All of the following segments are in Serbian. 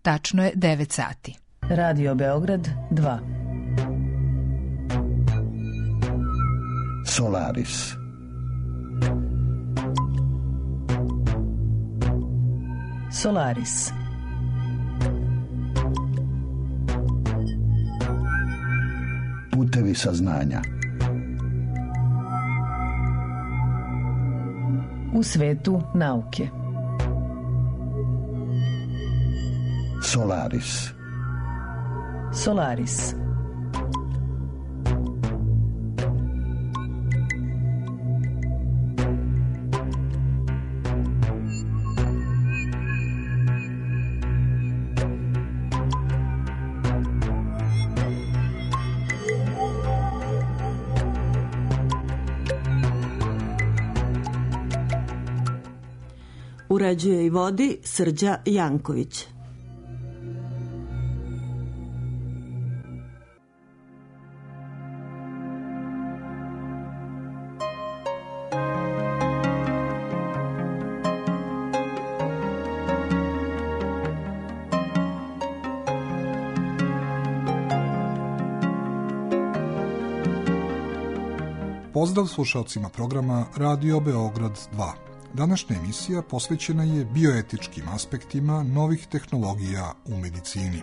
tačno je 9 sati. Radio Beograd 2. Solaris. Solaris. Putevi saznanja. U svetu nauke. Solaris. Solaris. Uređuje i vodi Srđa Janković. Pozdrav slušalcima programa Radio Beograd 2. Današnja emisija posvećena je bioetičkim aspektima novih tehnologija u medicini.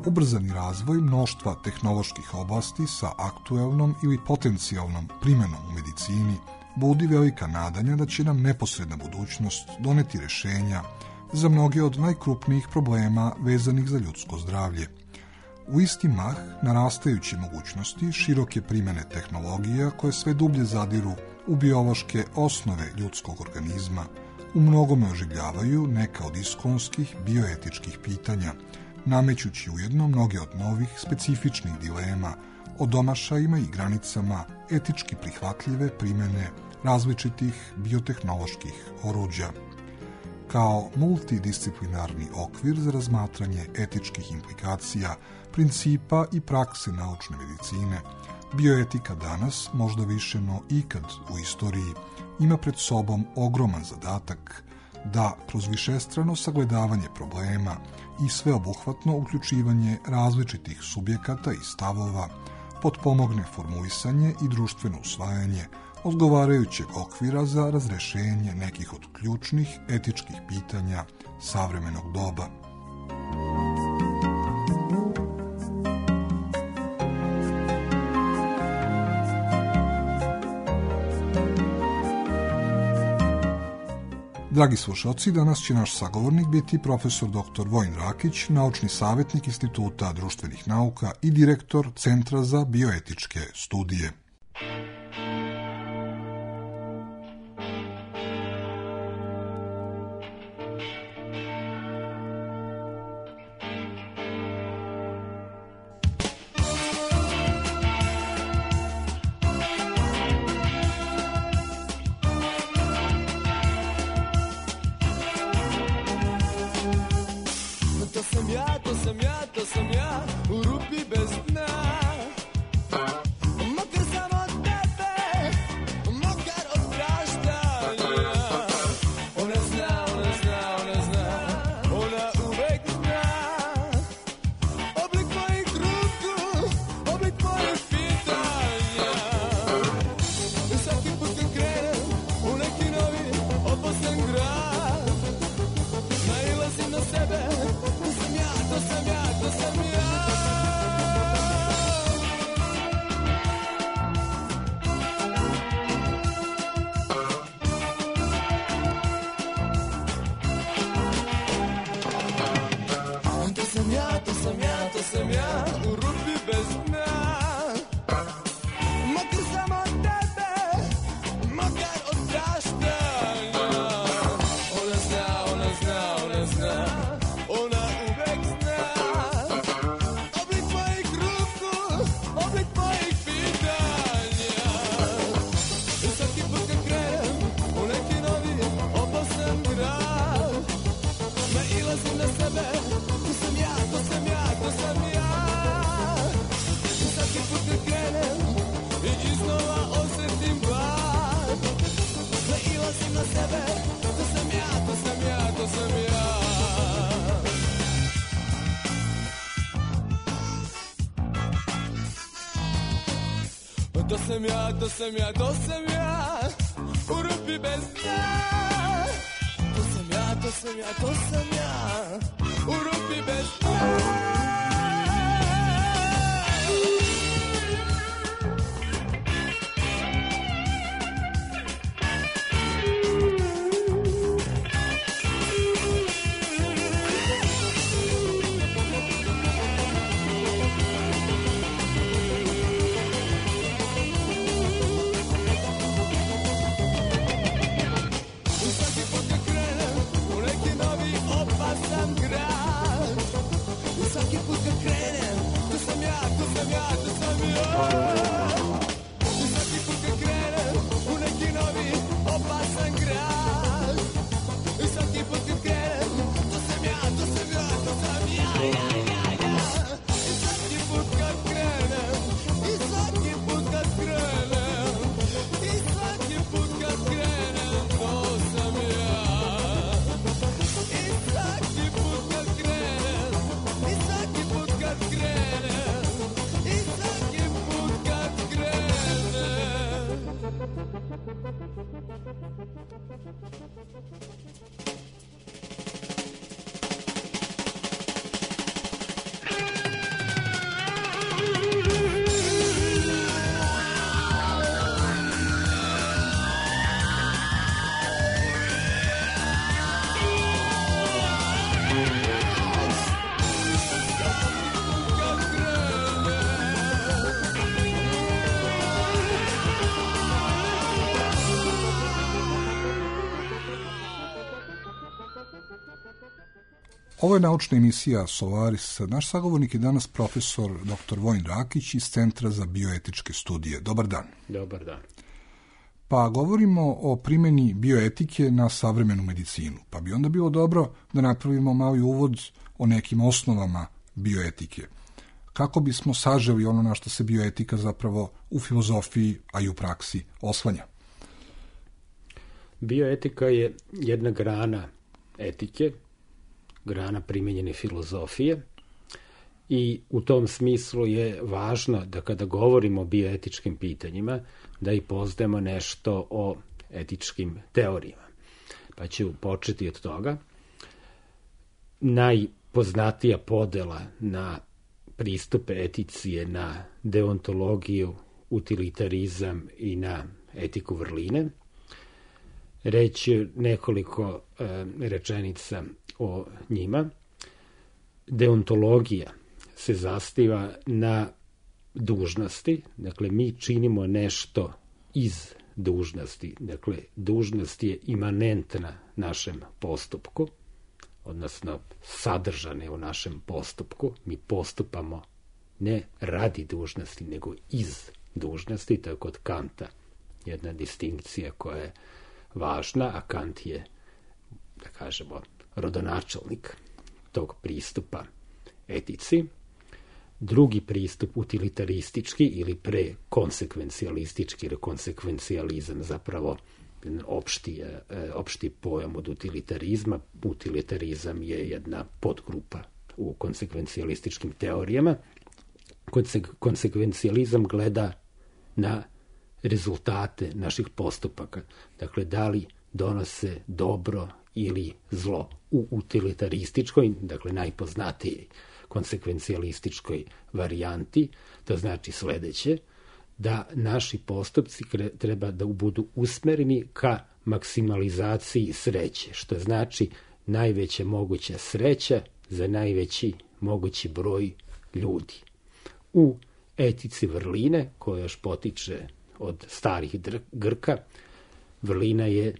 Ubrzani razvoj mnoštva tehnoloških oblasti sa aktuelnom ili potencijalnom primenom u medicini budi velika nadanja da će nam neposredna budućnost doneti rešenja za mnoge od najkrupnijih problema vezanih za ljudsko zdravlje. U isti mah narastajuće mogućnosti široke primene tehnologija koje sve dublje zadiru u biološke osnove ljudskog organizma u mnogome oživljavaju neka od iskonskih bioetičkih pitanja, namećući ujedno mnoge od novih specifičnih dilema o domašajima i granicama etički prihvatljive primene različitih biotehnoloških oruđa. Kao multidisciplinarni okvir za razmatranje etičkih implikacija, principa i prakse naučne medicine, bioetika danas, možda više no ikad u istoriji, ima pred sobom ogroman zadatak da kroz višestrano sagledavanje problema i sveobuhvatno uključivanje različitih subjekata i stavova potpomogne formulisanje i društveno usvajanje odgovarajućeg okvira za razrešenje nekih od ključnih etičkih pitanja savremenog doba. Dragi slušalci, danas će naš sagovornik biti profesor dr. Vojin Rakić, naučni savjetnik Instituta društvenih nauka i direktor Centra za bioetičke studije. To sam ja u rupi bez dna. Makar sam od tebe, makar od praštanja. Ona zna, ona uvek zna. Oblik mojih ruku, oblik mojih pitanja. Svaki put kad krenem u neki novi oposan grad, nailazim na sebe. To sam ja. To sam ja u rupi bez dna. Makar sam od tebe, makar od praštanja. Ona zna, ona uvek zna. Oblik mojih ruku, oblik mojih pitanja. Svaki put kad krenem u neki novi radim na sebe, to sam ja, to sam ja, to sam ja. To sam ja, to sam ja, to sam ja, u rupi bez dna. To sam ja, to sam ja, to sam ja, u rupi bez dna. Ovo je naučna emisija Solaris. Naš sagovornik je danas profesor dr. Vojin Rakić iz Centra za bioetičke studije. Dobar dan. Dobar dan. Pa govorimo o primjeni bioetike na savremenu medicinu. Pa bi onda bilo dobro da napravimo mali uvod o nekim osnovama bioetike. Kako bismo saželi ono na što se bioetika zapravo u filozofiji, a i u praksi oslanja? Bioetika je jedna grana etike, grana primjenjene filozofije i u tom smislu je važno da kada govorimo o bioetičkim pitanjima da i poznajemo nešto o etičkim teorijama. Pa ću početi od toga. Najpoznatija podela na pristupe etici je na deontologiju, utilitarizam i na etiku vrline. Reći nekoliko rečenica o njima. Deontologija se zasniva na dužnosti, dakle mi činimo nešto iz dužnosti, dakle dužnost je imanentna našem postupku, odnosno sadržane u našem postupku, mi postupamo ne radi dužnosti, nego iz dužnosti, to je kod Kanta jedna distinkcija koja je važna, a Kant je, da kažemo, rodonačelnik tog pristupa etici. Drugi pristup, utilitaristički ili prekonsekvencijalistički, jer konsekvencijalizam zapravo opšti pojam od utilitarizma. Utilitarizam je jedna podgrupa u konsekvencijalističkim teorijama. Konsekvencijalizam gleda na rezultate naših postupaka. Dakle, da li donose dobro ili zlo. U utilitarističkoj, dakle najpoznatijoj konsekvencijalističkoj varijanti, to znači sledeće, da naši postupci treba da budu usmereni ka maksimalizaciji sreće, što znači najveća moguća sreća za najveći mogući broj ljudi. U etici vrline, koja još potiče od starih Grka, vrlina je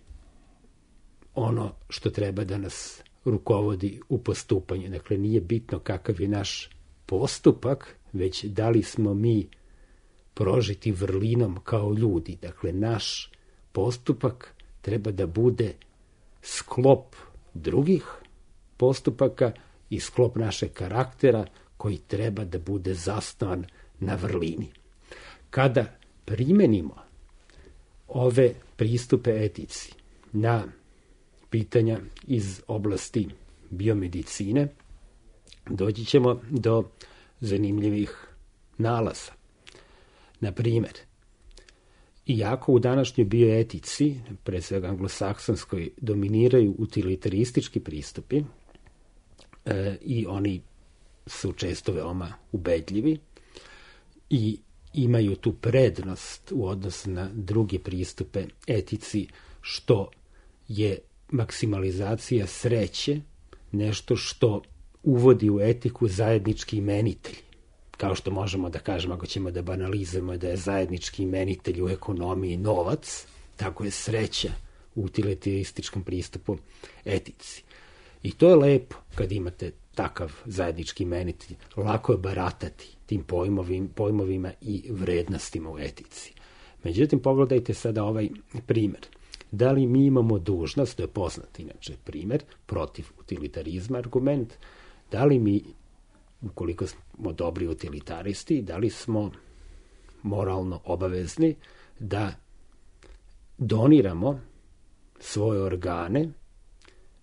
ono što treba da nas rukovodi u postupanju. Dakle, nije bitno kakav je naš postupak, već da li smo mi prožiti vrlinom kao ljudi. Dakle, naš postupak treba da bude sklop drugih postupaka i sklop našeg karaktera koji treba da bude zasnovan na vrlini. Kada primenimo ove pristupe etici na pitanja iz oblasti biomedicine, doći ćemo do zanimljivih nalaza. Na primjer, iako u današnjoj bioetici, pre svega anglosaksonskoj, dominiraju utilitaristički pristupi i oni su često veoma ubedljivi i imaju tu prednost u odnosu na druge pristupe etici, što je maksimalizacija sreće nešto što uvodi u etiku zajednički imenitelj. Kao što možemo da kažemo, ako ćemo da banalizujemo da je zajednički imenitelj u ekonomiji novac, tako je sreća u utilitarističkom pristupu etici. I to je lepo kad imate takav zajednički imenitelj. Lako je baratati tim pojmovima i vrednostima u etici. Međutim, pogledajte sada ovaj primjer. Da li mi imamo dužnost, to je poznat inače primjer, protiv utilitarizma argument, da li mi, ukoliko smo dobri utilitaristi, da li smo moralno obavezni da doniramo svoje organe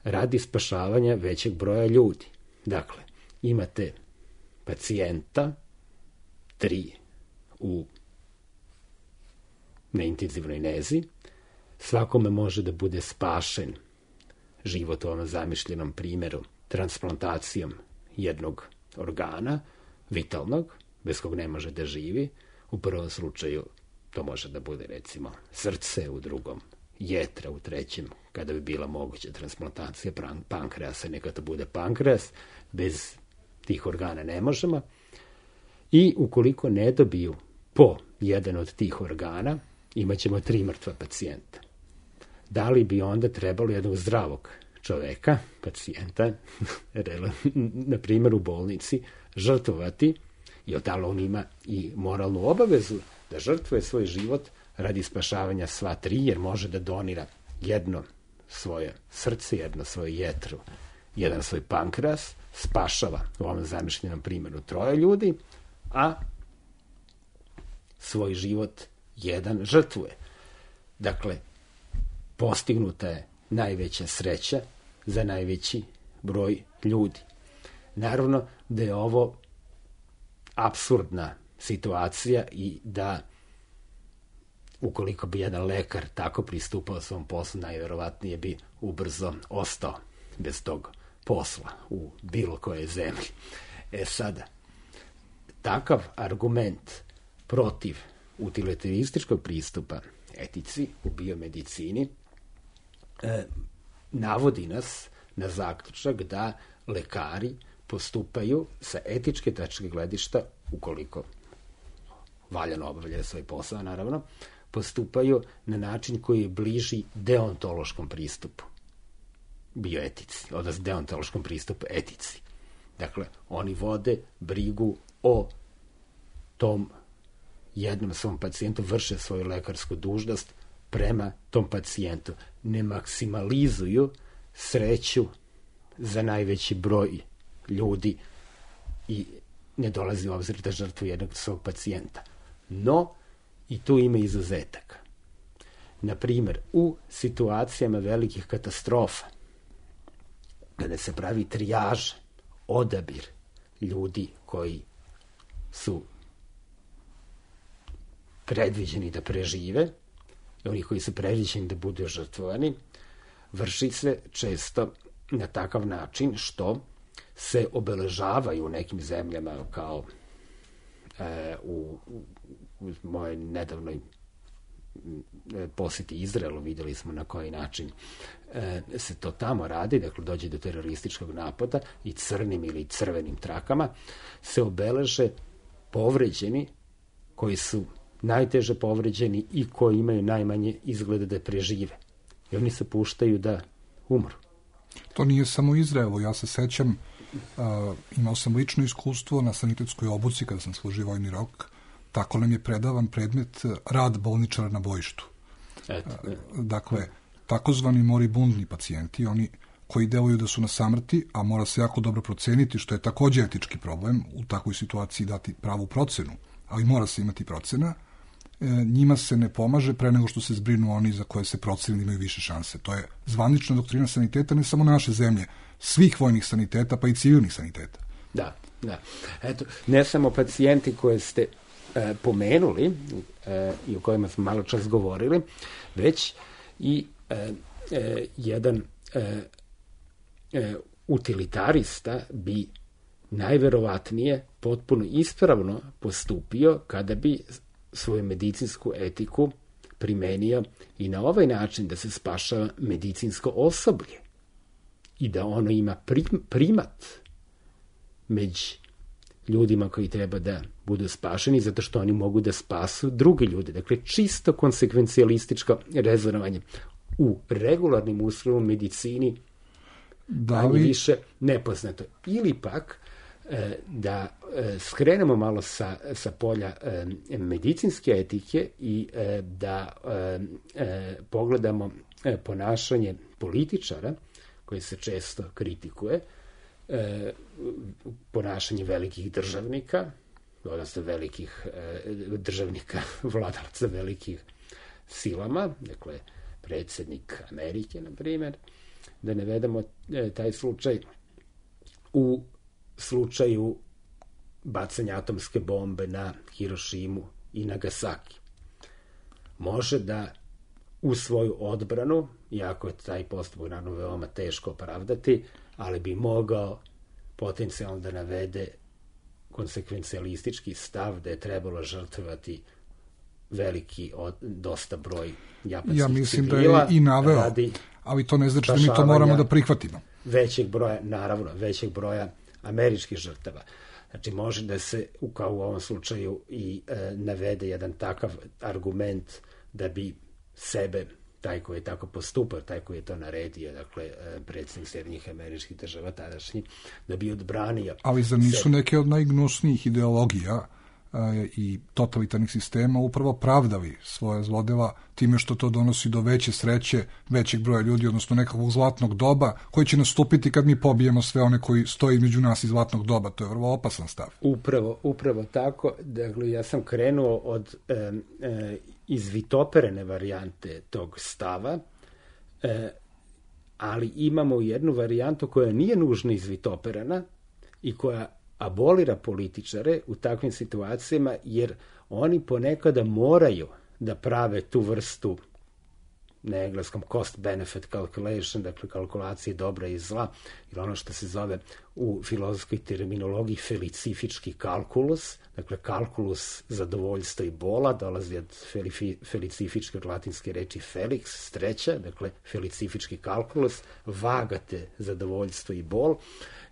radi spašavanja većeg broja ljudi. Dakle, imate pacijenta, 3 na intenzivnoj nezi, svakome može da bude spašen život u ovom zamišljenom primjeru transplantacijom jednog organa, vitalnog, bez kog ne može da živi. U prvom slučaju to može da bude recimo srce, u drugom jetra, u trećem kada bi bila moguća transplantacija pankreasa, neka to bude pankreas, bez tih organa ne možemo. I ukoliko ne dobiju po jedan od tih organa, imat ćemo 3 mrtva pacijenta. Da li bi onda trebalo jednog zdravog čoveka, pacijenta, na primjer u bolnici, žrtvovati, jer da li on ima i moralnu obavezu da žrtvuje svoj život radi spašavanja sva 3, jer može da donira jedno svoje srce, jedno svoje jetro, jedan svoj pankreas, spašava u ovom zamišljenom primjeru 3 ljudi, a svoj život jedan žrtvuje. Dakle, postignuta je najveća sreća za najveći broj ljudi. Naravno da je ovo apsurdna situacija i da ukoliko bi jedan lekar tako pristupao svom poslu, najverovatnije bi ubrzo ostao bez tog posla u bilo kojoj zemlji. Sada, takav argument protiv utilitarističkog pristupa etici u biomedicini navodi nas na zaključak da lekari postupaju sa etičke tačke gledišta, ukoliko valjano obavljaju svoj posao, naravno, postupaju na način koji je bliži deontološkom pristupu bioetici, odnosno deontološkom pristupu etici. Dakle, oni vode brigu o tom jednom svom pacijentu, vrše svoju lekarsku dužnost prema tom pacijentu. Ne maksimalizuju sreću za najveći broj ljudi i ne dolazi u obzir da žrtvu jednog svog pacijenta. No, i tu ima izuzetaka. Na primjer, u situacijama velikih katastrofa, kada se pravi trijaža, odabir ljudi koji su predviđeni da prežive i oni koji su predviđeni da budu žrtvovani, vrši se često na takav način što se obeležavaju u nekim zemljama, kao u mojoj nedavnoj posjeti Izraelu, vidjeli smo na koji način se to tamo radi, dakle dođe do terorističkog napada i crnim ili crvenim trakama se obeleže povređeni koji su najteže povređeni i koji imaju najmanje izgleda da prežive. I oni se puštaju da umru. To nije samo Izraelu, ja se sećam, imao sam lično iskustvo na sanitetskoj obuci kada sam služio vojni rok, tako nam je predavan predmet rad bolničara na bojištu. Dakle, takozvani moribundni pacijenti, oni koji deluju da su na samrti, a mora se jako dobro proceniti, što je također etički problem, u takvoj situaciji dati pravu procenu, ali mora se imati procena, njima se ne pomaže pre nego što se zbrinu oni za koje se proceni da imaju više šanse. To je zvanična doktrina saniteta, ne samo naše zemlje, svih vojnih saniteta, pa i civilnih saniteta. Da. Eto, ne samo pacijenti koje ste pomenuli i o kojima smo malo čas govorili, već i jedan utilitarista bi najverovatnije potpuno ispravno postupio kada bi svoju medicinsku etiku primenio i na ovaj način da se spašava medicinsko osoblje i da ono ima primat među ljudima koji treba da budu spašeni zato što oni mogu da spasu druge ljude. Dakle, čisto konsekvencijalističko rezonovanje u regularnim uslovima medicini više nepoznato. Ili pak da skrenemo malo sa polja medicinske etike i da pogledamo ponašanje političara koje se često kritikuje, ponašanje velikih državnika, odnosno velikih državnika, vladalaca velikih silama, dakle predsjednik Amerike, na primjer, da ne vedemo taj slučaj u slučaju bacanja atomske bombe na Hirošimu i Nagasaki. Može da u svoju odbranu, iako je taj postupak naravno veoma teško opravdati, ali bi mogao potencijalno da navede konsekvencijalistički stav da je trebalo žrtvovati veliki, dosta broj japanskih civila. Ja mislim da je i naveo, ali to ne znači da mi to moramo da prihvatimo. Većeg broja američkih žrtava. Znači, može da se, kao u ovom slučaju, i navede jedan takav argument da bi sebe, taj koji je tako postupao, taj koji je to naredio, dakle, predsjednik Sjedinjenih Američkih Država tadašnji, da bi odbranio. Ali zar nisu neke od najgnusnijih ideologija i totalitarnih sistema upravo pravdali svoje zlodela time što to donosi do veće sreće, većeg broja ljudi, odnosno nekakvog zlatnog doba koji će nastupiti kad mi pobijemo sve one koji stoji među nas iz zlatnog doba. To je vrlo opasan stav. Upravo tako. Dakle, ja sam krenuo od izvitoperene varijante tog stava, ali imamo jednu varijantu koja nije nužno izvitoperena i koja abolira političare u takvim situacijama, jer oni ponekada moraju da prave tu vrstu, na engleskom cost-benefit calculation, dakle kalkulacije dobra i zla, ili ono što se zove u filozofskoj terminologiji felicifički kalkulus, dakle kalkulus zadovoljstva i bola, dolazi od felicifičke, od latinske reči felix, sreća, dakle felicifički kalkulus, vagate zadovoljstvo i bol,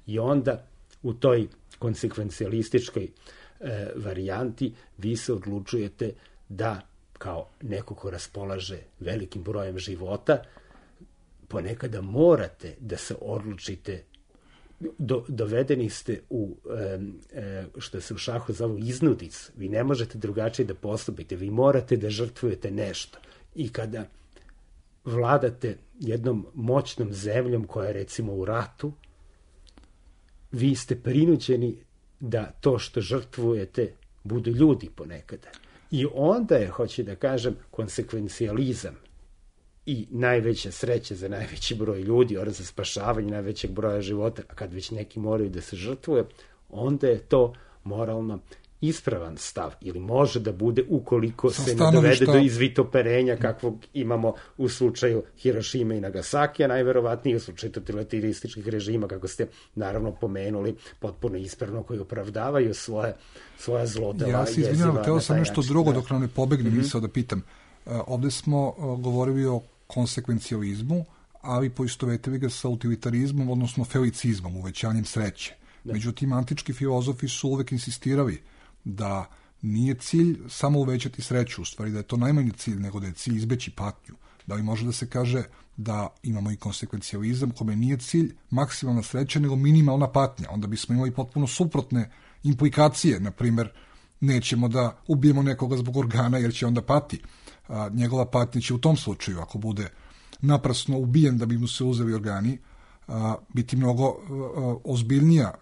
i onda u toj konsekvencijalističkoj varijanti vi se odlučujete da, kao neko ko raspolaže velikim brojem života, ponekada morate da se odlučite, dovedeni ste u, što se u šahu zove iznudic, vi ne možete drugačije da postupite, vi morate da žrtvujete nešto. I kada vladate jednom moćnom zemljom koja je recimo u ratu, vi ste prinuđeni da to što žrtvujete budu ljudi ponekada. I onda je, hoću da kažem, konsekvencijalizam i najveća sreća za najveći broj ljudi, odnosno za spašavanje najvećeg broja života, a kad već neki moraju da se žrtvuje, onda je to moralno ispravan stav, ili može da bude ukoliko se ne dovede do izvitoperenja kakvog imamo u slučaju Hirošime i Nagasakija, najverovatnije u slučaju totalitarističkih režima, kako ste naravno pomenuli, potpuno ispravno, koji opravdavaju svoja zlodela. Ja se izvinjavam, teo sam nešto drugo dok nam ne pobegne misao da pitam. Ovde smo govorili o konsekvencijalizmu, ali poistovetili ga sa utilitarizmom, odnosno felicizmom, uvećanjem sreće. Međutim, antički filozofi su uvek insistirali da nije cilj samo uvećati sreću, u stvari da je to najmanji cilj, nego da je cilj izbeći patnju. Da li može da se kaže da imamo i konsekvencijalizam kome nije cilj maksimalna sreća, nego minimalna patnja. Onda bismo imali potpuno suprotne implikacije. Na primer, nećemo da ubijemo nekoga zbog organa jer će onda pati. Njegova patnja će u tom slučaju, ako bude naprasno ubijen da bi mu se uzeli organi, biti mnogo ozbiljnija,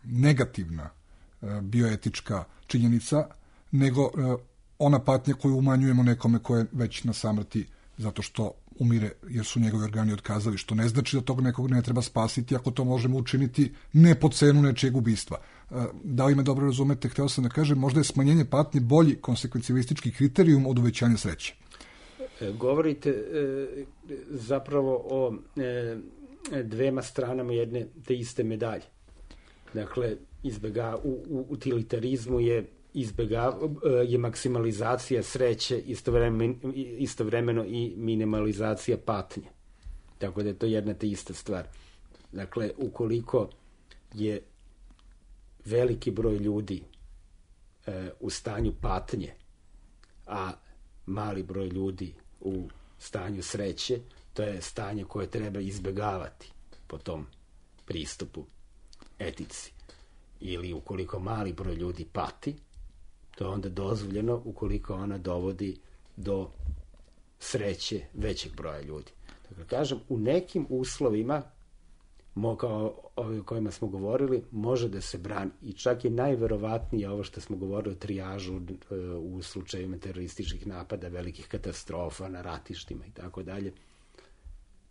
negativna bioetička činjenica nego ona patnja koju umanjujemo nekome ko je već na samrti zato što umire jer su njegovi organi otkazali, što ne znači da tog nekog ne treba spasiti ako to možemo učiniti ne po cenu nečijeg ubistva. Da li me dobro razumete, hteo sam da kažem, možda je smanjenje patnje bolji konsekvencijalistički kriterijum od uvećanja sreće. Govorite zapravo o dvema stranama jedne te iste medalje. Dakle, u utilitarizmu je maksimalizacija sreće, istovremeno i minimalizacija patnje. Tako da je to jedna te ista stvar. Dakle, ukoliko je veliki broj ljudi u stanju patnje, a mali broj ljudi u stanju sreće, to je stanje koje treba izbegavati po tom pristupu etici. Ili ukoliko mali broj ljudi pati, to je onda dozvoljeno ukoliko ona dovodi do sreće većeg broja ljudi. Dakle, kažem, u nekim uslovima, kao o kojima smo govorili, može da se brani. I čak je najverovatnije ovo što smo govorili o trijažu u slučajima terorističkih napada, velikih katastrofa na ratištima i tako dalje,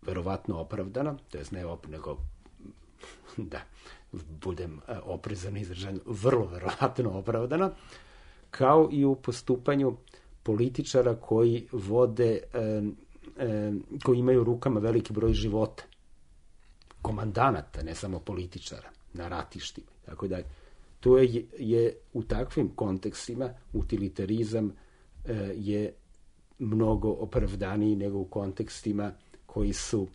verovatno opravdano, to je nego da budem oprezan izražen, vrlo verovatno opravdano, kao i u postupanju političara koji vode, koji imaju u rukama veliki broj života, komandanata, ne samo političara, na ratištima. Tako da, to je u takvim kontekstima utilitarizam je mnogo opravdaniji nego u kontekstima koji su,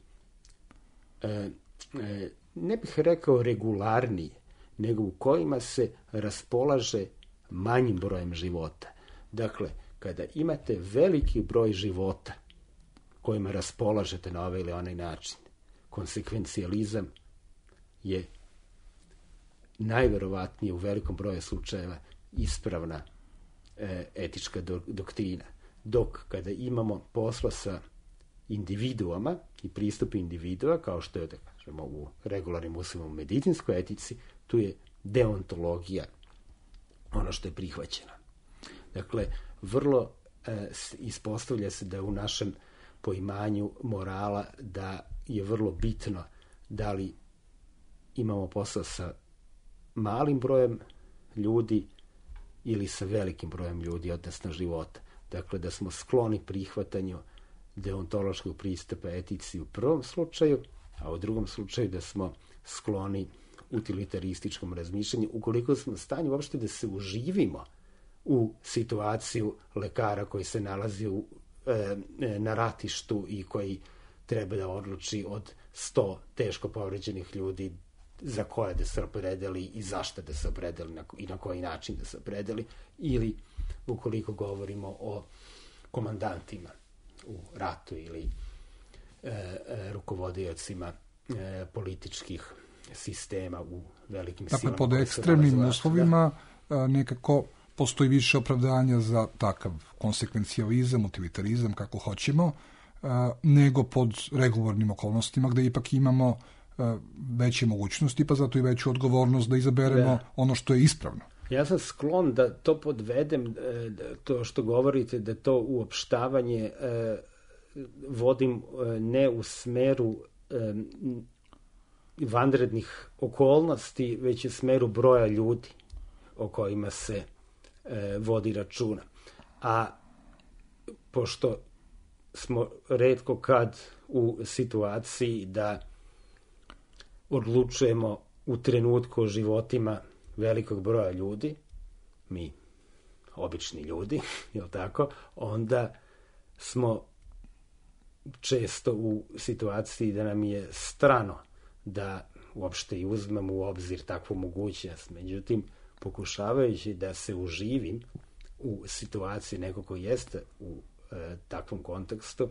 ne bih rekao regularniji, nego u kojima se raspolaže manjim brojem života. Dakle, kada imate veliki broj života kojima raspolažete na ovaj ili onaj način, konsekvencijalizam je najverovatnije u velikom broju slučajeva ispravna etička doktrina. Dok kada imamo posla sa individuama i pristup individua, kao što je, da kažemo, u regularnim uslovima u medicinskoj etici, tu je deontologija ono što je prihvaćeno. Dakle, vrlo ispostavlja se da u našem poimanju morala da je vrlo bitno da li imamo posla sa malim brojem ljudi ili sa velikim brojem ljudi, odnosno života. Dakle, da smo skloni prihvatanju deontološkog pristupa etici u prvom slučaju, a u drugom slučaju da smo skloni utilitarističkom razmišljanju, ukoliko smo u stanju uopšte da se uživimo u situaciju lekara koji se nalazi na ratištu i koji treba da odluči od 100 teško povređenih ljudi za koje da se opredeli i zašto da se opredeli i na koji način da se opredeli, ili ukoliko govorimo o komandantima u ratu ili rukovodiocima političkih sistema u velikim silama. Dakle, pod ekstremnim uslovima nekako postoji više opravdanja za takav konsekvencijalizam, utilitarizam, kako hoćemo, nego pod regularnim okolnostima gde ipak imamo veće mogućnosti, pa zato i veću odgovornost da izaberemo ono što je ispravno. Ja sam sklon da to podvedem, to što govorite, da to uopštavanje vodim ne u smeru vanrednih okolnosti, već u smeru broja ljudi o kojima se vodi računa. A pošto smo retko kad u situaciji da odlučujemo u trenutku o životima velikog broja ljudi, mi, obični ljudi, jel tako, onda smo često u situaciji da nam je strano da uopšte i uzmemo u obzir takvu mogućnost. Međutim, pokušavajući da se uživim u situaciji nekog ko jeste u takvom kontekstu,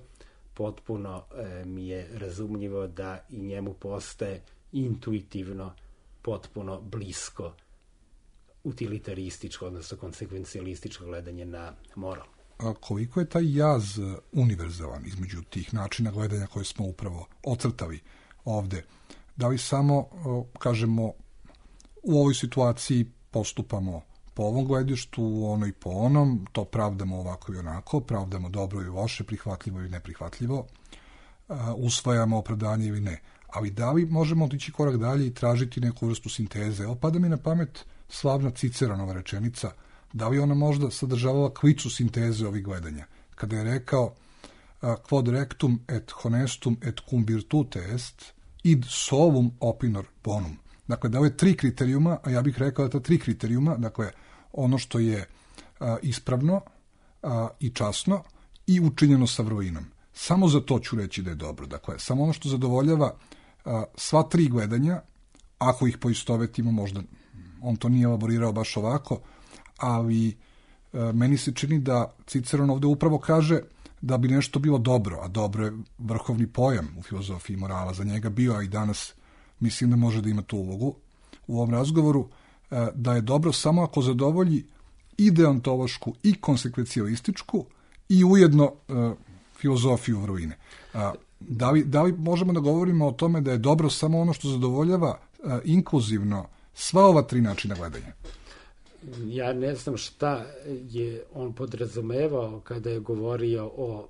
potpuno mi je razumljivo da i njemu postaje intuitivno potpuno blisko utilitarističko, odnosno konsekvencijalističko gledanje na moral. A koliko je taj jaz univerzalan između tih načina gledanja koje smo upravo ocrtali ovde? Da li samo, kažemo, u ovoj situaciji postupamo po ovom gledištu, ono i po onom, to pravdamo ovako i onako, pravdamo dobro i loše, prihvatljivo i neprihvatljivo, usvajamo opravdanje ili ne. Ali da li možemo otići korak dalje i tražiti neku vrstu sinteze? Evo, pada mi na pamet slavna Ciceronova rečenica, da li ona možda sadržavala klicu sinteze ovih gledanja, kada je rekao quod rectum et honestum et cum virtute est, id solum opinor bonum. Dakle, da je 3 kriterijuma, a ja bih rekao da ta 3 kriterijuma, dakle, ono što je ispravno i časno i učinjeno sa vrlinom. Samo za to ću reći da je dobro. Dakle, samo ono što zadovoljava sva 3 gledanja, ako ih poistovetimo, možda on to nije elaborirao baš ovako, ali meni se čini da Ciceron ovde upravo kaže da bi nešto bilo dobro, a dobro je vrhovni pojam u filozofiji morala za njega bio, a i danas mislim da može da ima tu ulogu u ovom razgovoru, da je dobro samo ako zadovolji i deontološku i konsekvencijalističku i ujedno filozofiju vrline. Da li možemo da govorimo o tome da je dobro samo ono što zadovoljava inkluzivno sva ova 3 načina gledanja? Ja ne znam šta je on podrazumevao kada je govorio o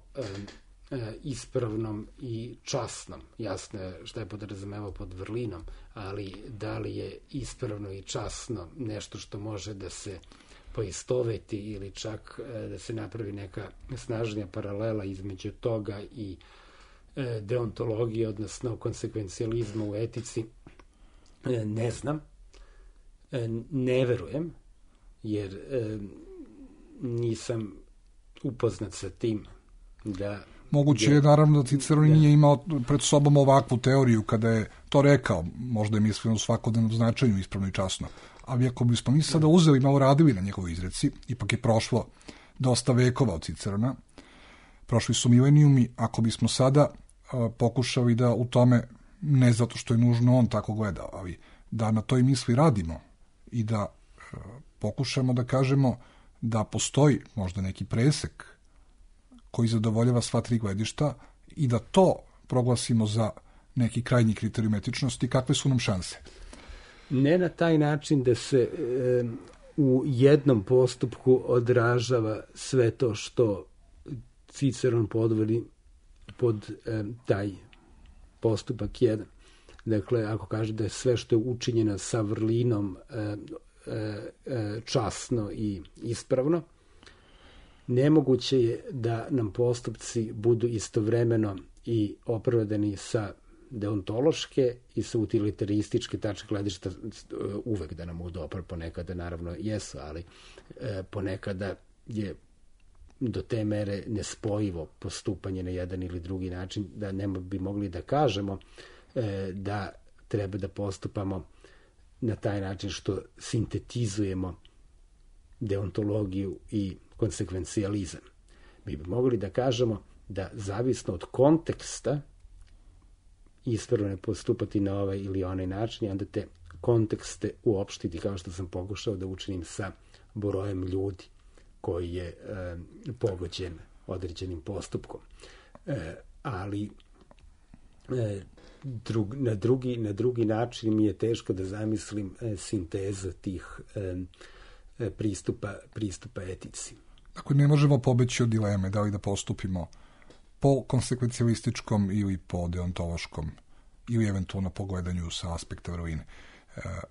ispravnom i časnom. Jasno je šta je podrazumevao pod vrlinom, ali da li je ispravno i časno nešto što može da se poistoveti ili čak da se napravi neka snažnija paralela između toga i deontologije, odnosno konsekvencijalizma u etici, ne znam, ne verujem, jer nisam upoznat sa tim da... Moguće je naravno da Ciceron nije imao pred sobom ovakvu teoriju kada je to rekao, možda je mislio u svakodnevnom značenju ispravno i časno, ali ako bismo mi sada uzeli i malo radili na njegovoj izreci, ipak je prošlo dosta vekova od Cicerona, prošli su milenijumi, ako bismo sada pokušali da u tome, ne zato što je nužno on tako gleda, ali da na toj misli radimo i da pokušamo da kažemo da postoji možda neki presek koji zadovoljava sva 3 gledišta i da to proglasimo za neki krajnji kriterijum etičnosti, kakve su nam šanse? Ne na taj način da se u jednom postupku odražava sve to što Ciceron podvodi pod taj postupak 1. Dakle, ako kaže da je sve što je učinjeno sa vrlinom časno i ispravno, nemoguće je da nam postupci budu istovremeno i opravdani sa deontološke i sa utilitarističke tačke gledišta, uvek da nam budu opravdani, ponekada naravno jesu, ali ponekada je do te mere nespojivo postupanje na jedan ili drugi način, da ne bi mogli da kažemo da treba da postupamo na taj način što sintetizujemo deontologiju i konsekvencijalizam. Mi bi mogli da kažemo da zavisno od konteksta ispravno ne postupati na ovaj ili onaj način i onda te kontekste uopštiti, kao što sam pokušao da učinim sa brojem ljudi koji je pogođen određenim postupkom. Ali na drugi način mi je teško da zamislim sintezu tih pristupa etici. Dakle, ne možemo pobeći od dileme da li da postupimo po konsekvencijalističkom ili po deontološkom ili eventualno po gledanju sa aspekta vrline.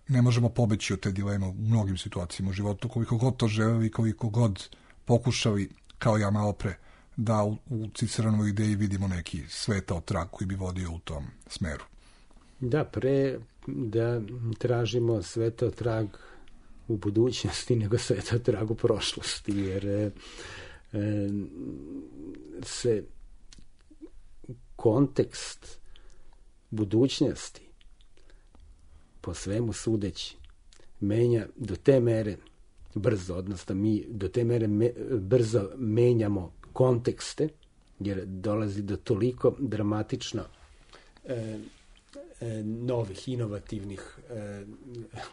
Ne možemo pobeći od te dileme u mnogim situacijama u životu, koliko god to želeli, koliko god pokušali, kao ja malo pre, da u Ciceronovoj ideji vidimo neki svetao trag koji bi vodio u tom smeru. Da, pre da tražimo svetao trag u budućnosti nego svetao trag u prošlosti, jer se kontekst budućnosti po svemu sudeći menja do te mere brzo, odnosno mi do te mere brzo menjamo kontekste, jer dolazi do toliko dramatično novih, inovativnih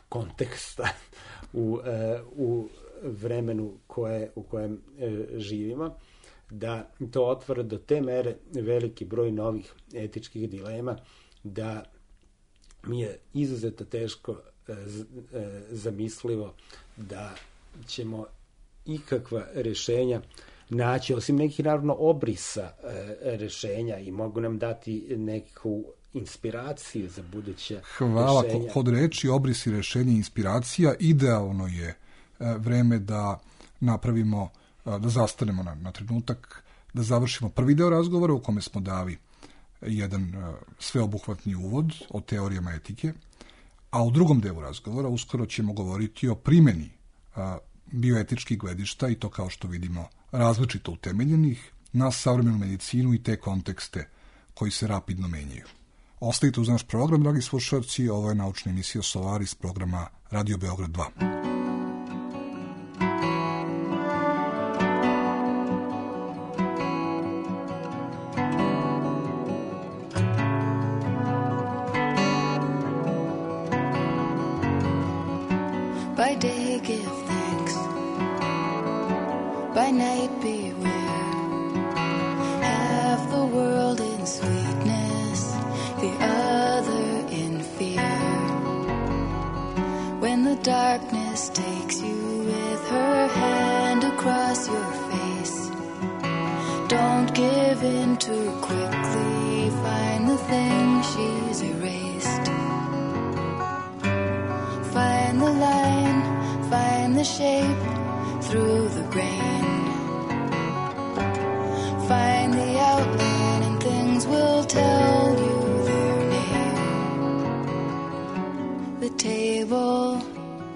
konteksta u vremenu u kojem živimo, da to otvara do te mere veliki broj novih etičkih dilema, da mi je izuzetno teško zamislivo da ćemo ikakva rešenja naći, osim nekih naravno obrisa rešenja, i mogu nam dati neku inspiraciju za buduće Hvala. rešenja. Kod reči obrisi, rešenja i inspiracija, idealno je vreme da napravimo, da zastanemo na trenutak, da završimo prvi deo razgovora u kome smo dali jedan sveobuhvatni uvod o teorijama etike, a u drugom delu razgovora uskoro ćemo govoriti o primjeni bioetičkih gledišta, i to, kao što vidimo, različito utemeljenih na savremenu medicinu i te kontekste koji se rapidno menjaju. Ostavite uz naš program, dragi slušalci, ovo je naučna emisija Solaris programa Radio Beograd 2. By day give thanks, by night beware. Half the world in sweetness, the other in fear. When the darkness takes you with her hand across your face, don't give in too quickly, find the thing she's erased. Find the line, find the shape through the grain. Find the outline and things will tell you their name. The table,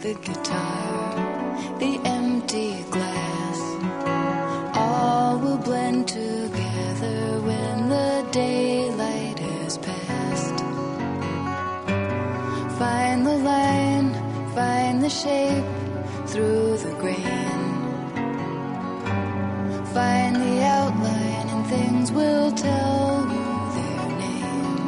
the guitar, the empty glass, all will blend together when the daylight has passed. Find the line, find the shape through the grain. Find the outline and things will tell you their name.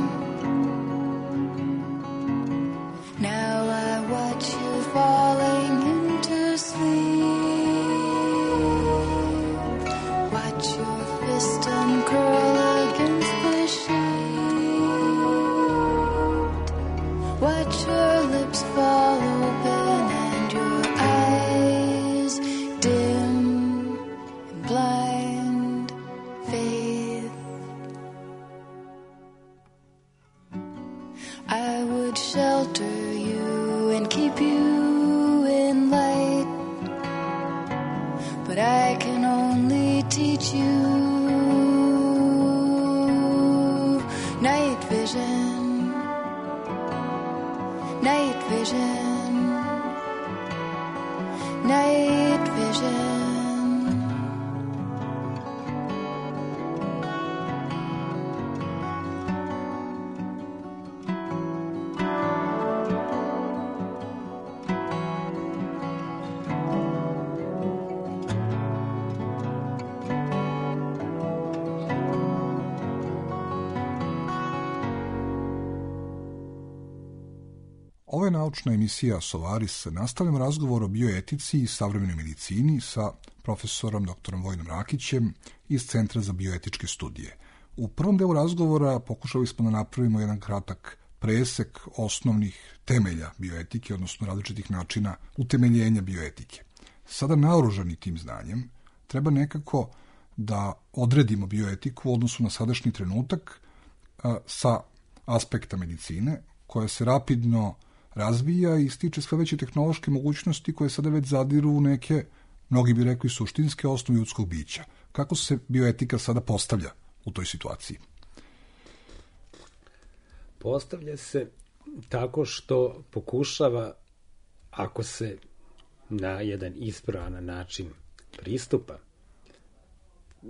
Now I watch you falling into sleep. Watch your fist uncurl against the sheet. Watch your lips fall open and your eyes dim in blind faith. I would shelter you and keep you in light, but I can only teach you night vision. Night vision, night vision. Ovo je naučna emisija Solaris. Nastavljamo razgovor o bioetici i savremenoj medicini sa profesorom dr. Vojinom Rakićem iz Centra za bioetičke studije. U prvom delu razgovora pokušali smo da napravimo jedan kratak presek osnovnih temelja bioetike, odnosno različitih načina utemeljenja bioetike. Sada, naoružani tim znanjem, treba nekako da odredimo bioetiku u odnosu na sadašnji trenutak sa aspekta medicine, koja se rapidno razvija i stiče sve veće tehnološke mogućnosti koje sada već zadiru u neke, mnogi bi rekli, suštinske osnove ljudskog bića. Kako se bioetika sada postavlja u toj situaciji? Postavlja se tako što pokušava, ako se na jedan ispravan način pristupa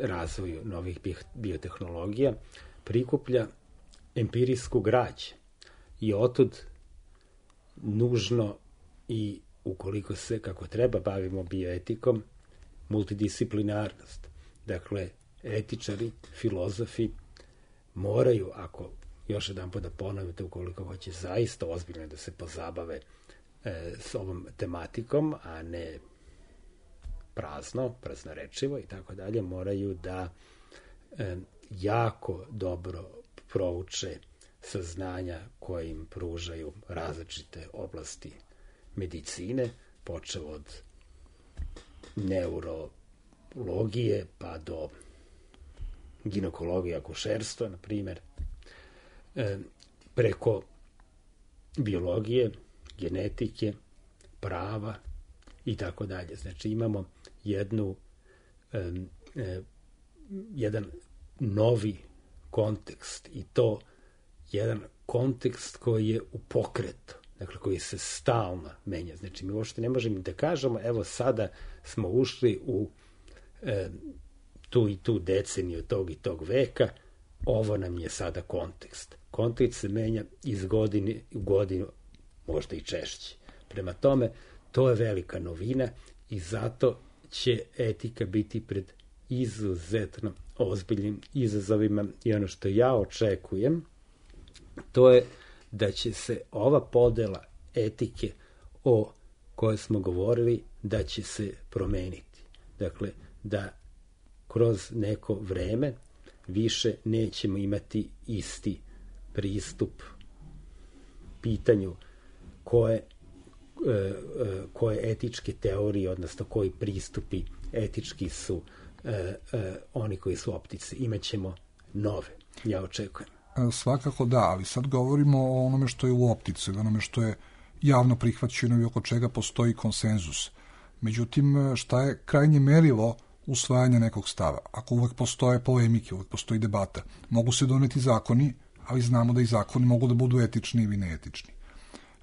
razvoju novih biotehnologija, prikuplja empirijsku građu i otud nužno, i ukoliko se kako treba bavimo bioetikom, multidisciplinarnost. Dakle, etičari, filozofi moraju, ako još jedan put da ponovite, ukoliko hoće zaista ozbiljno da se pozabave s ovom tematikom, a ne praznorečivo i tako dalje, moraju da jako dobro prouče saznanja koje im pružaju različite oblasti medicine, počev od neurologije pa do ginekologije, akušerstva, na primjer, preko biologije, genetike, prava i tako dalje. Znači imamo jedan novi kontekst i to jedan kontekst koji je u pokretu, dakle koji se stalno menja. Znači mi uopšte ne možemo da kažemo evo sada smo ušli u tu i tu deceniju tog i tog veka, ovo nam je sada kontekst. Kontekst se menja iz godine u godinu, možda i češće. Prema tome, to je velika novina i zato će etika biti pred izuzetno ozbiljnim izazovima i ono što ja očekujem, to je da će se ova podela etike o kojoj smo govorili, da će se promeniti. Dakle, da kroz neko vreme više nećemo imati isti pristup pitanju koje etičke teorije, odnosno koji pristupi etički su oni koji su optice. Imaćemo nove, ja očekujem. Svakako da, ali sad govorimo o onome što je u optici, onome što je javno prihvaćeno i oko čega postoji konsenzus. Međutim, šta je krajnje merilo usvajanja nekog stava? Ako uvek postoje polemike, uvek postoji debata, mogu se doneti zakoni, ali znamo da i zakoni mogu da budu etični ili neetični.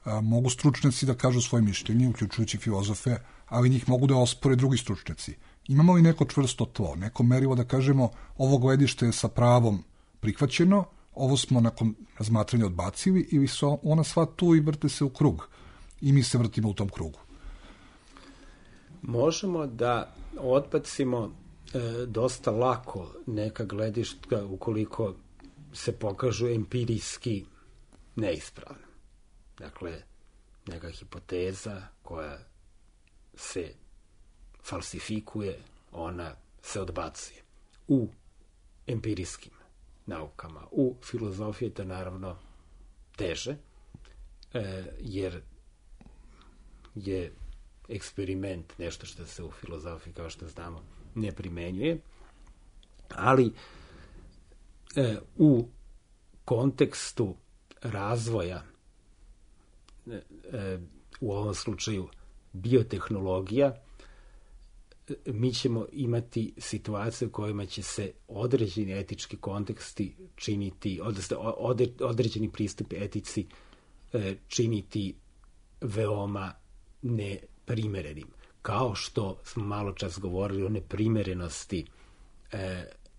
Mogu stručnjaci da kažu svoje mišljenje, uključujući filozofe, ali njih mogu da ospore drugi stručnjaci. Imamo li neko čvrsto tlo, neko merilo da kažemo ovo gledište je sa pravom prihvaćeno, ovo smo nakon razmatranja odbacili, ili su ona sva tu i vrte se u krug i mi se vrtimo u tom krugu? Možemo da odbacimo dosta lako neka gledišta ukoliko se pokažu empirijski neispravna. Dakle, neka hipoteza koja se falsifikuje, ona se odbacuje. U empirijskim naukama, u filozofiji je to naravno teže, jer je eksperiment nešto što se u filozofiji, kao što znamo, ne primenjuje, ali u kontekstu razvoja, u ovom slučaju biotehnologija, mi ćemo imati situacije u kojima će se određeni etički konteksti činiti, odnosno određeni pristupi etici činiti veoma neprimerenim. Kao što smo malo čas govorili o neprimerenosti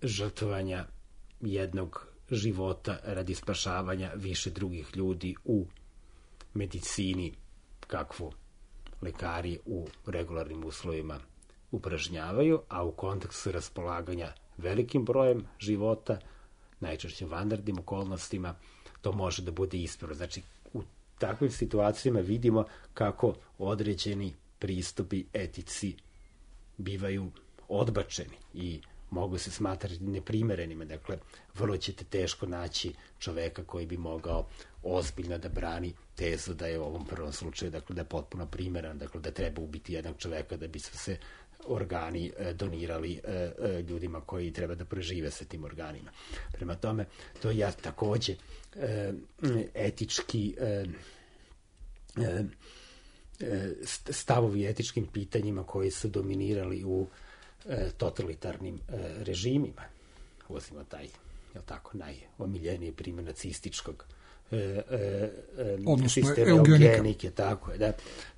žrtvovanja jednog života radi spašavanja više drugih ljudi u medicini, kakvu lekari u regularnim uslovima upražnjavaju, a u kontekstu raspolaganja velikim brojem života, najčešće vanrednim okolnostima, to može da bude ispravno. Znači, u takvim situacijama vidimo kako određeni pristupi etici bivaju odbačeni i mogu se smatrati neprimerenima. Dakle, vrlo ćete teško naći čoveka koji bi mogao ozbiljno da brani tezu da je u ovom prvom slučaju, dakle, da je potpuno primeran, dakle, da treba ubiti jednog čoveka da bi se organi donirali ljudima koji treba da prežive sa tim organima. Prema tome, to je takođe etički stavovi etičkim pitanjima koji su dominirali u totalitarnim režimima. Uzmimo taj, je tako, najomiljeniji primjer nacističkog sistema eugenike, tako je, da.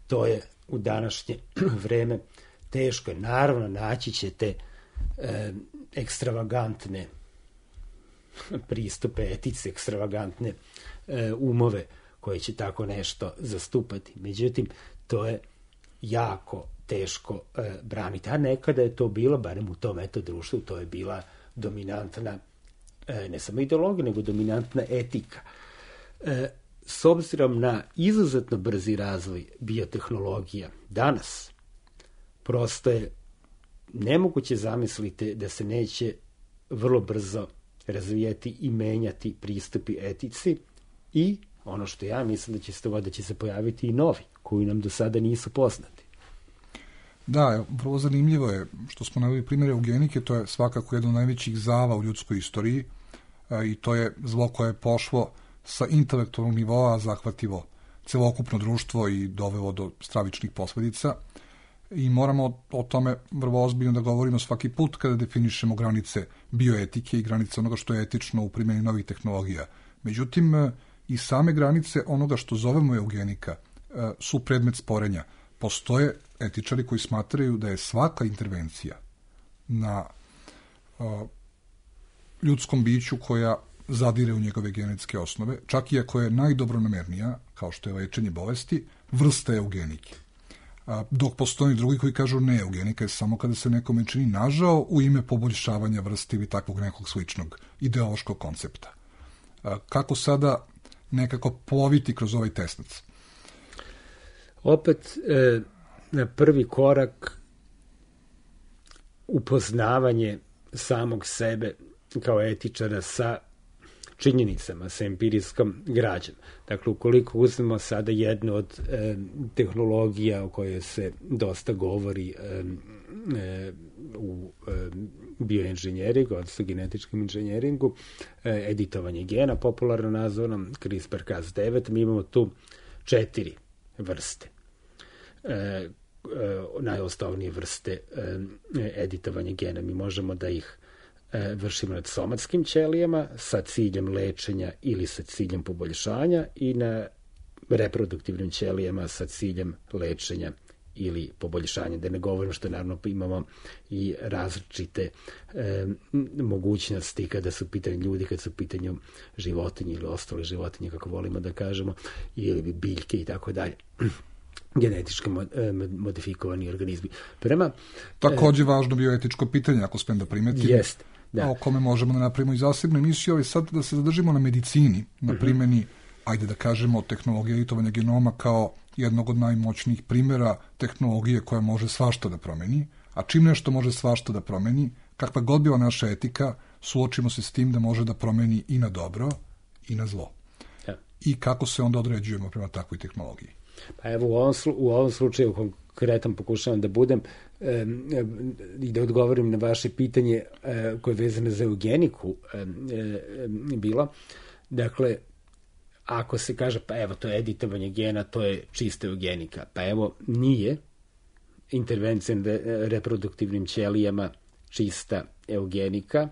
To je u današnje vreme teško je. Naravno, naći ćete ekstravagantne pristupe etice, ekstravagantne umove koji će tako nešto zastupati. Međutim, to je jako teško braniti. A nekada je to bilo, barem u tom društvu, to je bila dominantna, ne samo ideologija, nego dominantna etika. S obzirom na izuzetno brzi razvoj biotehnologija danas, prosto je nemoguće zamisliti da se neće vrlo brzo razvijati i menjati pristupi etici i ono što ja mislim da će se pojaviti i novi, koji nam do sada nisu poznati. Da, vrlo zanimljivo je što smo naveli primjer eugenike, to je svakako jedno od najvećih zala u ljudskoj istoriji i to je zlo koje je pošlo sa intelektualnog nivoa, zahvatilo celokupno društvo i dovelo do stravičnih posledica i moramo o tome vrlo ozbiljno da govorimo svaki put kada definišemo granice bioetike i granice onoga što je etično u primjeni novih tehnologija. Međutim, i same granice onoga što zovemo eugenika su predmet sporenja. Postoje etičari koji smatraju da je svaka intervencija na ljudskom biću koja zadire u njegove genetske osnove, čak i ako je najdobronamernija, kao što je lečenje bolesti, vrsta eugenike. Dok postoji drugi koji kažu ne, eugenika je samo kada se nekome čini nažao u ime poboljšavanja vrste ili takvog nekog sličnog ideološkog koncepta. Kako sada nekako ploviti kroz ovaj tesnac? Opet, na prvi korak upoznavanje samog sebe kao etičara sa činjenicama, sa empirijskom građom. Dakle, ukoliko uzmemo sada jednu od tehnologija o kojoj se dosta govori u bioinženjeringu, odnosno genetičkom inženjeringu, editovanje gena, popularno nazvano CRISPR-Cas9, mi imamo tu 4 vrste. Najosnovnije vrste editovanja gena. Mi možemo da ih vršimo nad somatskim ćelijama sa ciljem lečenja ili sa ciljem poboljšanja i na reproduktivnim ćelijama sa ciljem lečenja ili poboljšanja. Da ne govorimo što naravno imamo i različite mogućnosti kada su pitanje ljudi, kada su pitanje životinje ili ostale životinje, kako volimo da kažemo, ili biljke i tako dalje. Genetički modifikovani organizmi. Takođe važno bioetičko pitanje, ako smem da primetim. Jeste. Da. O kome možemo da napravimo i zasebnu emisiju, ali sad da se zadržimo na medicini, na primjeni, ajde da kažemo, tehnologije editovanja genoma kao jednog od najmoćnijih primjera tehnologije koja može svašta da promeni, a čim nešto može svašta da promeni, kakva god bila naša etika, suočimo se s tim da može da promeni i na dobro i na zlo. Da. I kako se onda određujemo prema takvoj tehnologiji? Pa evo, u ovom slučaju konkretan pokušavam da budem i da odgovorim na vaše pitanje koje je vezano za eugeniku bilo. Dakle, ako se kaže, pa evo, to je editovanje gena, to je čista eugenika. Pa evo, nije intervencija na reproduktivnim ćelijama čista eugenika,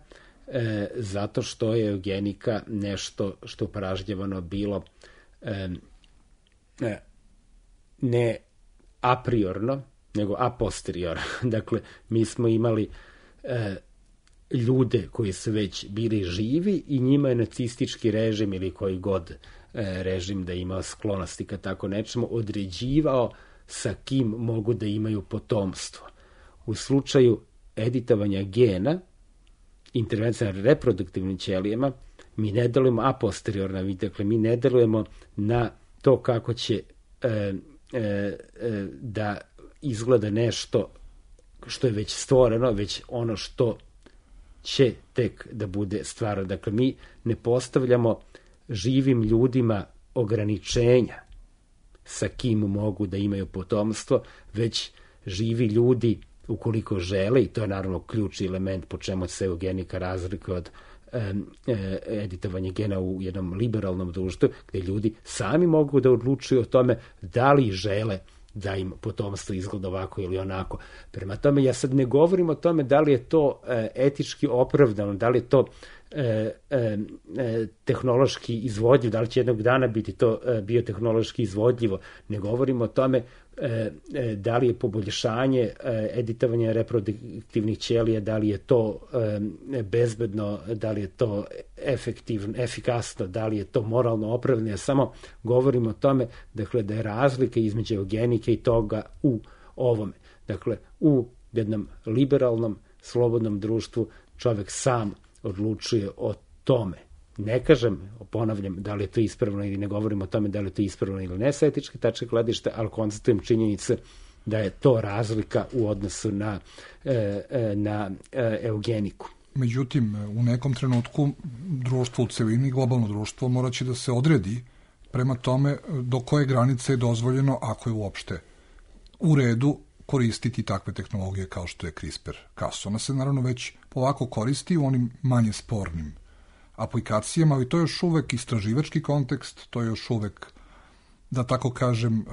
zato što je eugenika nešto što upražnjavano bilo ne a priorno, nego a posteriorno. Dakle, mi smo imali ljude koji su već bili živi i njima je nacistički režim ili koji god režim da imao sklonosti ka tako nečemu određivao sa kim mogu da imaju potomstvo. U slučaju editovanja gena, intervencija na reproduktivnim ćelijama, mi ne delujemo a posteriorno, dakle, mi ne delujemo na to kako će da izgleda nešto što je već stvoreno, već ono što će tek da bude stvarno. Dakle, mi ne postavljamo živim ljudima ograničenja sa kim mogu da imaju potomstvo, već živi ljudi, ukoliko žele, i to je naravno ključni element po čemu se eugenika razlikuje od editovanje gena u jednom liberalnom društvu, gde ljudi sami mogu da odlučuju o tome da li žele da im potomstvo izgleda ovako ili onako. Prema tome, ja sad ne govorim o tome da li je to etički opravdano, da li je to tehnološki izvodljivo, da li će jednog dana biti to biotehnološki izvodljivo. Ne govorim o tome da li je poboljšanje editovanja reproduktivnih ćelija, da li je to bezbedno, da li je to efektivno, efikasno, da li je to moralno opravdano. Ja samo govorim o tome, dakle, da je razlika između eugenike i toga u ovome. Dakle, u jednom liberalnom, slobodnom društvu čovek sam odlučuje o tome. Ne kažem, ponavljam, da li je to ispravno ili ne govorim o tome da li je to ispravno ili ne sa etičke tačke gledišta, ali konstatujem činjenice da je to razlika u odnosu na eugeniku. Međutim, u nekom trenutku društvo u celini, globalno društvo, morat će da se odredi prema tome do koje granice je dozvoljeno, ako je uopšte u redu, koristiti takve tehnologije kao što je CRISPR-Cas. Ona se naravno već polako koristi u onim manje spornim aplikacijama, ali to je još uvek istraživački kontekst, to je još uvek, da tako kažem,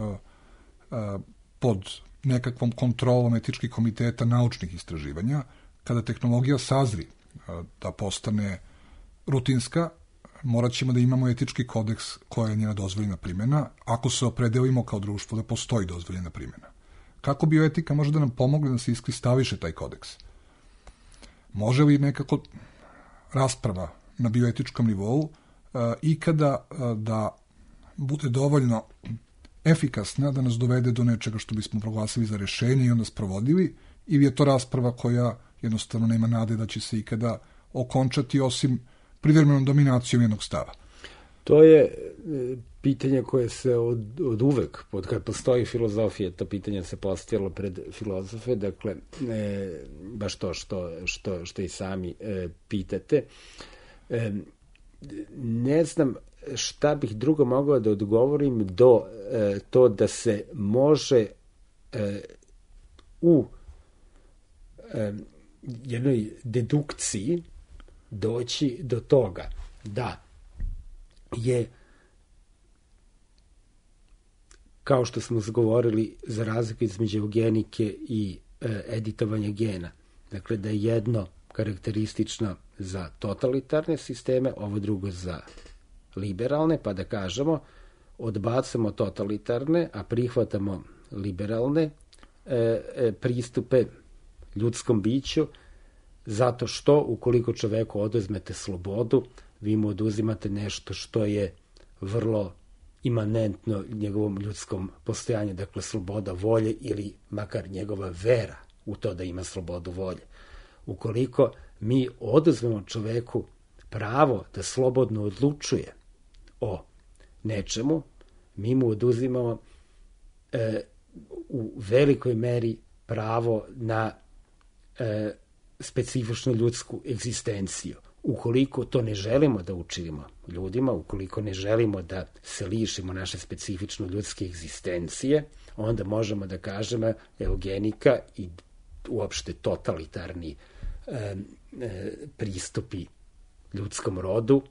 pod nekakvom kontrolom etičkih komiteta naučnih istraživanja. Kada tehnologija sazri da postane rutinska, morat ćemo da imamo etički kodeks koja je njena dozvoljena primjena, ako se opredelimo kao društvo da postoji dozvoljena primjena. Kako bioetika može da nam pomogne da se iskristališe taj kodeks? Može li nekako rasprava na bioetičkom nivou ikada da bude dovoljno efikasna da nas dovede do nečega što bismo proglasili za rešenje i onda sprovodili, ili je to rasprava koja jednostavno nema nade da će se ikada okončati osim privremenom dominacijom jednog stava? To je pitanje koje se od uvek, od kad postoji filozofija, to pitanje se postavilo pred filozofe, dakle, baš to što i sami pitate. Ne znam šta bih drugo mogao da odgovorim do to da se može u jednoj dedukciji doći do toga da je, kao što smo zagovorili, za razliku između eugenike i editovanja gena, dakle da je jedno karakteristično za totalitarne sisteme, ovo drugo za liberalne, pa da kažemo odbacamo totalitarne, a prihvatamo liberalne pristupe ljudskom biću, zato što ukoliko čoveku oduzmete slobodu, vi mu oduzimate nešto što je vrlo imanentno njegovom ljudskom postojanju, dakle sloboda volje ili makar njegova vera u to da ima slobodu volje. Ukoliko mi oduzmemo čoveku pravo da slobodno odlučuje o nečemu, mi mu oduzimamo u velikoj meri pravo na specifičnu ljudsku egzistenciju. Ukoliko to ne želimo da učinimo ljudima, ukoliko ne želimo da se lišimo naše specifično ljudske egzistencije, onda možemo da kažemo eugenika i uopšte totalitarni pristupi ljudskom rodu,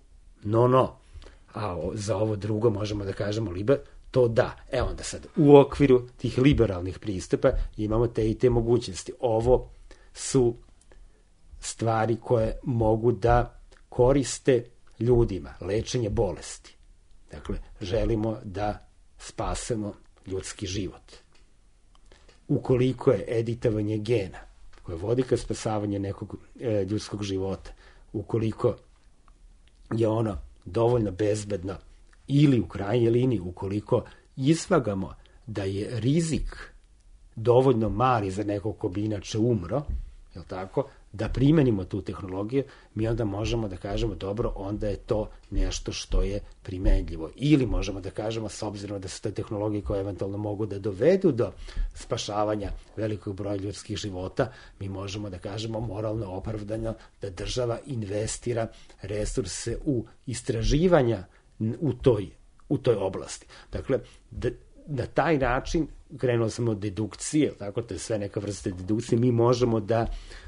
no. A za ovo drugo možemo da kažemo to da. Onda sad, u okviru tih liberalnih pristupa imamo te i te mogućnosti. Ovo su stvari koje mogu da koriste ljudima, lečenje bolesti. Dakle, želimo da spasemo ljudski život. Ukoliko je editovanje gena koje vodi ka spasavanju nekog ljudskog života, ukoliko je ono dovoljno bezbedno ili u krajnjoj liniji, ukoliko izvagamo da je rizik dovoljno mali za nekog ko bi inače umro, je li tako, da primenimo tu tehnologiju, mi onda možemo da kažemo dobro, onda je to nešto što je primenljivo. Ili možemo da kažemo, s obzirom da su te tehnologije koje eventualno mogu da dovedu do spašavanja velikog broja ljudskih života, mi možemo da kažemo moralno opravdano da država investira resurse u istraživanja u toj oblasti. Dakle, na taj način, krenuo sam od dedukcije, tako, to je sve neka vrsta dedukcije, mi možemo da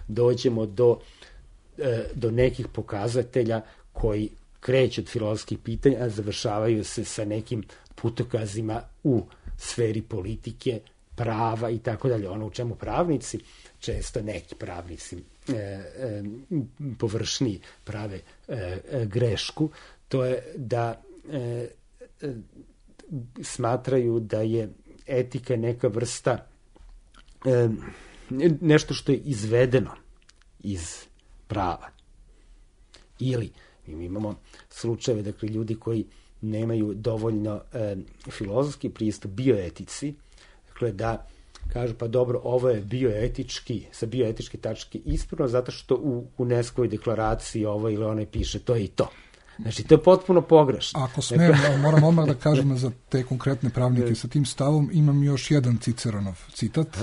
dođemo do nekih pokazatelja koji kreću od filozofskih pitanja, a završavaju se sa nekim putokazima u sferi politike, prava i tako dalje. Ono u čemu pravnici, često neki pravnici površniji prave grešku, to je da smatraju da je etika neka vrsta nešto što je izvedeno iz prava. Ili mi imamo slučajeve, dakle, ljudi koji nemaju dovoljno filozofski pristup bioetici, dakle, da kažu, pa dobro, ovo je bioetički, sa bioetičke tačke ispravno, zato što u UNESCO-voj deklaraciji ovo ili onaj piše to i to. Znači, to je potpuno pogrešno. Ako smijem, moram odmah da kažem za te konkretne pravnike sa tim stavom, imam još jedan Ciceronov citat,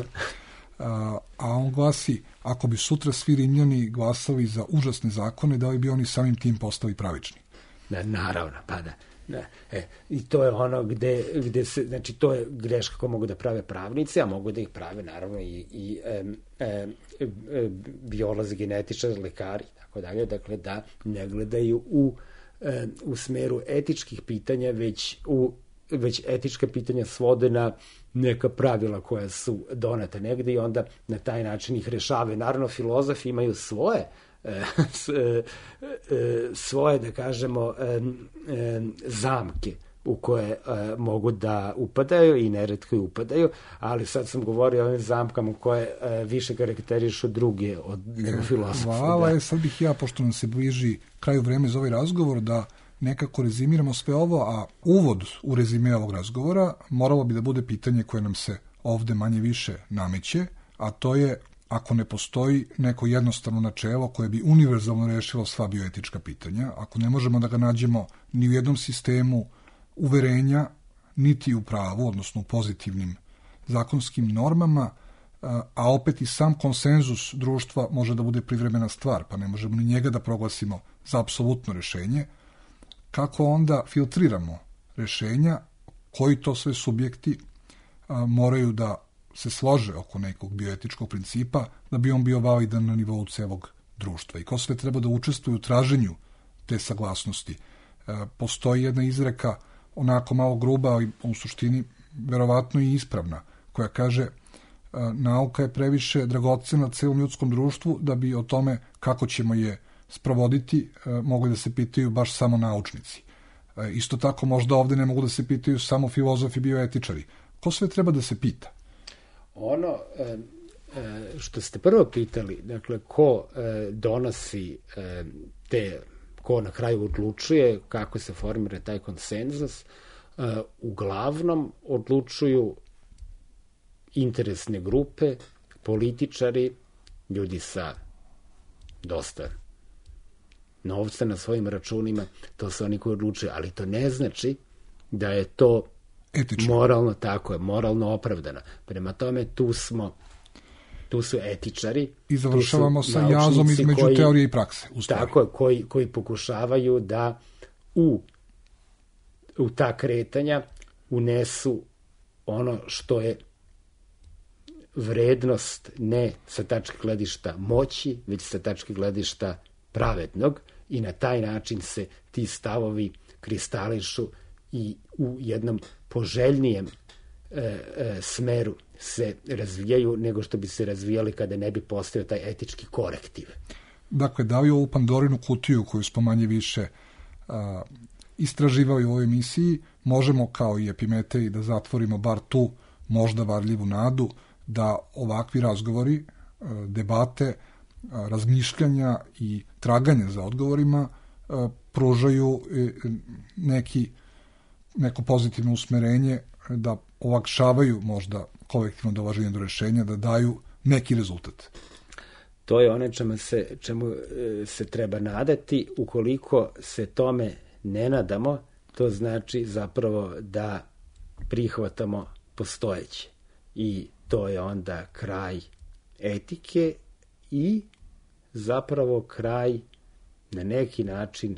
a on glasi, ako bi sutra svi Rimljani glasali za užasne zakone, da li bi oni samim tim postali pravični? Naravno, pa da. I to je ono gde se, znači to je greška koju mogu da prave pravnici, a mogu da ih prave naravno i biolozi, genetičari, lekari, tako dalje, dakle da ne gledaju u smeru etičkih pitanja, već etička pitanja svode na neka pravila koja su donete negde i onda na taj način ih rešavaju. Naravno, filozofi imaju svoje, da kažemo, zamke u koje mogu da upadaju i neretko i upadaju, ali sad sam govorio o ovim zamkama koje više karakterišu druge od nego filozofa. Hvala, sad bih ja, pošto nam se bliži kraju vreme za ovaj razgovor, da nekako rezimiramo sve ovo, a uvod u rezime ovog razgovora moralo bi da bude pitanje koje nam se ovde manje više nameće, a to je ako ne postoji neko jednostavno načelo koje bi univerzalno rešilo sva bioetička pitanja, ako ne možemo da ga nađemo ni u jednom sistemu uverenja, niti u pravu, odnosno u pozitivnim zakonskim normama, a opet i sam konsenzus društva može da bude privremena stvar, pa ne možemo ni njega da proglasimo za apsolutno rešenje, kako onda filtriramo rešenja, koji to sve subjekti moraju da se slože oko nekog bioetičkog principa da bi on bio validan na nivou celog društva i ko sve treba da učestvuje u traženju te saglasnosti. Postoji jedna izreka, onako malo gruba, ali u suštini verovatno i ispravna, koja kaže nauka je previše dragocena celom ljudskom društvu da bi o tome kako ćemo je sprovoditi mogli da se pitaju baš samo naučnici. Isto tako možda ovde ne mogu da se pitaju samo filozofi, bioetičari. Ko sve treba da se pita? Ono što ste prvo pitali, dakle, ko donosi ko na kraju odlučuje, kako se formira taj konsenzus, uglavnom odlučuju interesne grupe, političari, ljudi sa dosta novca na svojim računima, to su oni koji odlučuju, ali to ne znači da je to etično. Moralno, tako je, moralno opravdano. Prema tome, tu su etičari. I završavamo sa jazom između teorije i prakse. Tako je, koji pokušavaju da u ta kretanja unesu ono što je vrednost ne sa tačke gledišta moći, već sa tačke gledišta pravednog i na taj način se ti stavovi kristališu i u jednom poželjnijem smeru se razvijaju nego što bi se razvijali kada ne bi postojao taj etički korektiv. Dakle, da li ovu Pandorinu kutiju koju smo manje više istraživali u ovoj emisiji, možemo kao i Epimetej da zatvorimo bar tu možda varljivu nadu da ovakvi razgovori, debate, razmišljanja i traganja za odgovorima pružaju neko pozitivno usmerenje, da olakšavaju možda kolektivno dolaženje do rešenja, da daju neki rezultat. To je ono čemu se treba nadati. Ukoliko se tome ne nadamo, to znači zapravo da prihvatamo postojeće. I to je onda kraj etike i zapravo kraj na neki način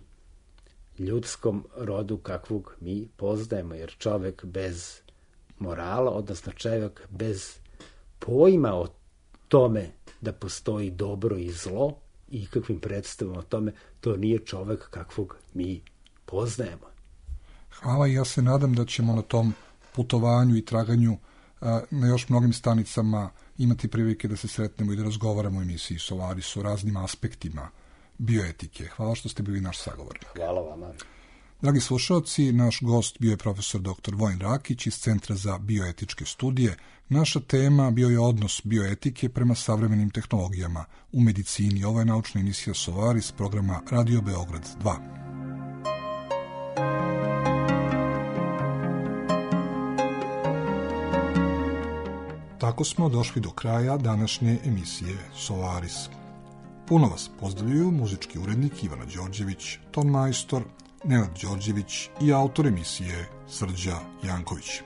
ljudskom rodu kakvog mi poznajemo, jer čovek bez morala, odnosno čovek bez pojma o tome da postoji dobro i zlo i kakvim predstavama o tome, to nije čovek kakvog mi poznajemo. Hvala i ja se nadam da ćemo na tom putovanju i traganju na još mnogim stanicama imati prilike da se sretnemo i da razgovaramo u emisiji Solaris o raznim aspektima bioetike. Hvala što ste bili naš sagovornik. Hvala vama. Dragi slušalci, naš gost bio je profesor dr. Vojin Rakić iz Centra za bioetičke studije. Naša tema bio je odnos bioetike prema savremenim tehnologijama u medicini. Ovo je naučna emisija Solaris programa Radio Beograd 2. Tako smo došli do kraja današnje emisije Solaris. Puno vas pozdravljaju muzički urednik Ivana Đorđević, ton majstor Nenad Đorđević i autor emisije Srđa Janković.